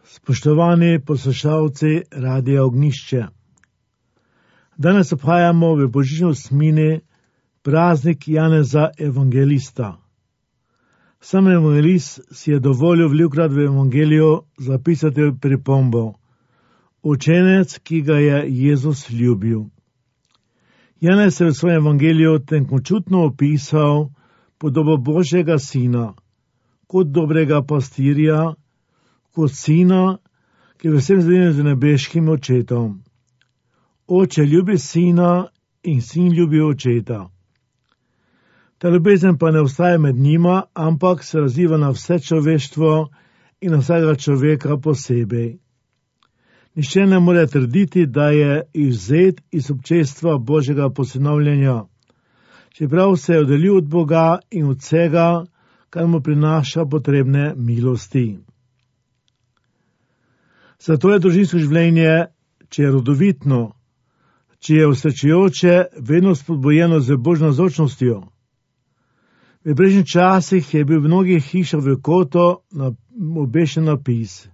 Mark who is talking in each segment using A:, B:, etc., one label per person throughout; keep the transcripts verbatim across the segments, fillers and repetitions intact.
A: Spoštovani poslušalci Radia Ognjišče. Danes obhajamo v božični osmini praznik Janeza Evangelista. Sam evangelist si je dovolil velikokrat v evangeliju zapisati pripombo: učenec, ki ga je Jezus ljubil. Janez je v svojem evangeliju tenkočutno opisal podobo Božjega sina, kot dobrega pastirja, kot sina, ki je vsem zedinjen z nebeškim očetom. Oče ljubi sina in sin ljubi očeta. Ta ljubezen pa ne ostaja med njima, ampak se razliva na vse človeštvo in na vsakega človeka posebej. Nihče ne more trditi, da je izvzet iz občestva Božjega posinovljenja, čeprav se je oddaljil od Boga in od vsega, kar mu prinaša potrebne milosti. Zato je družinsko življenje, če je rodovitno, če je osrečujoče, vedno spodbujeno z Božjo navzočnostjo. V prejšnjih časih je bil v mnogih hišah v kotu obešen napis: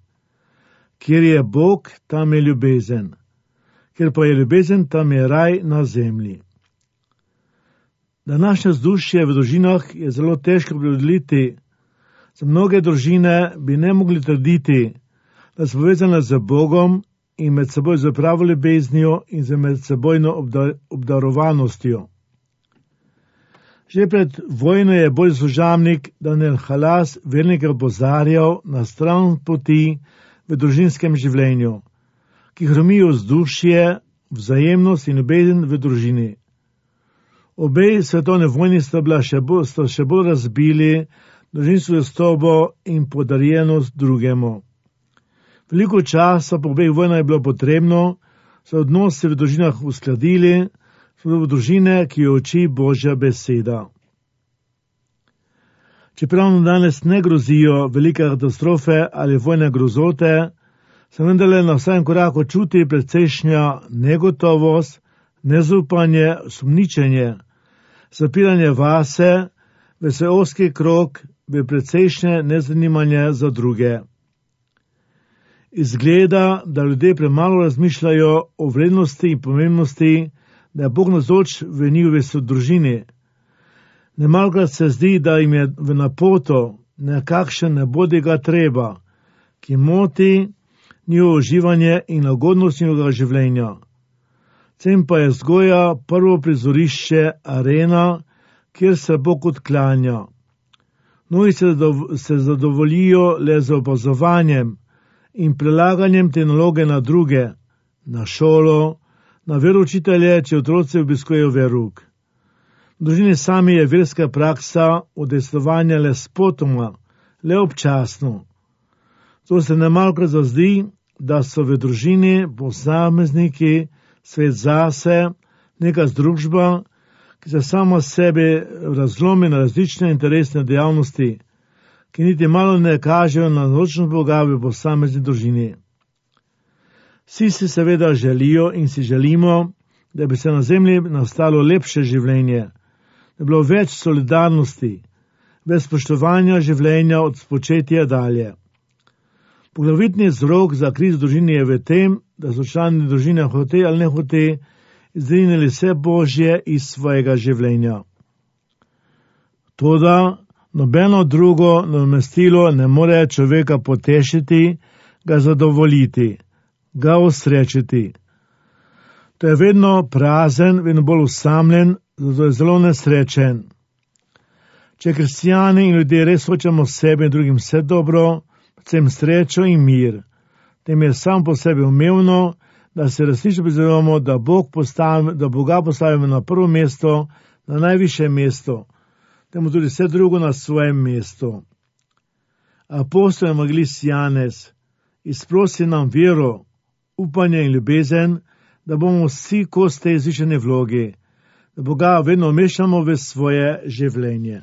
A: kjer je Bog, tam je ljubezen. Ker pa je ljubezen, tam je raj na zemlji. Današnje vzdušje v družinah je zelo težko predeliti. Za mnoge družine bi ne mogli trditi, da so povezane z Bogom in med seboj z pravo ljubeznijo in z medsebojno obdarovanostjo. Že pred vojno je Božji služabnik Daniel Halas vernike opozarjal na stran poti v družinskem življenju, ki hromijo vzdušje, vzajemnost in ljubezen v družini. Obe svetovne vojni sta, še bolj, sta še bolj razbili družinsko zvestobo in podarjenost drugemu. Veliko časa po obeh vojnah je bilo potrebno, so odnose v družinah uskladili, so v družine, ki jo uči Božja beseda. Čeprav nam danes ne grozijo velike katastrofe ali vojne grozote, se vendarle na vsakem koraku čuti precejšnja negotovost, nezaupanje, sumničenje, zapiranje vase, v svoj ozki krog, v precejšnje nezanimanje za druge. Izgleda, da ljudje premalo razmišljajo o vrednosti in pomembnosti, da je Bog navzoč v njihovi družini. Nemalokrat se zdi, da jim je v napoto nekakšen nebodiga treba, ki moti njihovo uživanje in lagodnost njihovega življenja. Tem pa je vzgoja prvo prizorišče, arena, kjer se Bog odklanja. Mnogi se, se zadovoljijo le z opazovanjem in prelaganjem te naloge na druge, na šolo, na veroučitelje, če otroci obiskujejo verouk. V družini sami je verska praksa udejstvovanja le spotoma, le občasno. To se nemalokrat zazdi, da so v družini posamezniki, svet zase, neka združba, ki se sama sebe razlomi na različne interesne dejavnosti, ki niti malo ne kažejo na navzočnost Boga v posamezni družini. Vsi si seveda želijo in si želimo, da bi se na zemlji nastalo lepše življenje, da bi bilo več solidarnosti, več spoštovanja življenja od spočetja dalje. Poglavitni vzrok za krizo v družini je v tem, da so člani družine hote ali ne hote izrinili vse Božje iz svojega življenja. Toda nobeno drugo nadomestilo ne more človeka potešiti, ga zadovoljiti, ga osrečiti. To je vedno prazen, vedno bolj osamljen, zato je zelo nesrečen. Če kristijani in ljudje res hočemo sebi in drugim vse dobro, predvsem srečo in mir, tem je sam po sebi umevno, da se resnično prizadevamo, da, Bog postavi, da Boga postavimo na prvo mesto, na najvišje mesto, temu tudi vse drugo na svojem mestu. Apostol evangelist Janez izprosi nam vero, upanje in ljubezen, da bomo vsi kos tej zvišene vlogi, da Boga vedno umešamo v svoje življenje.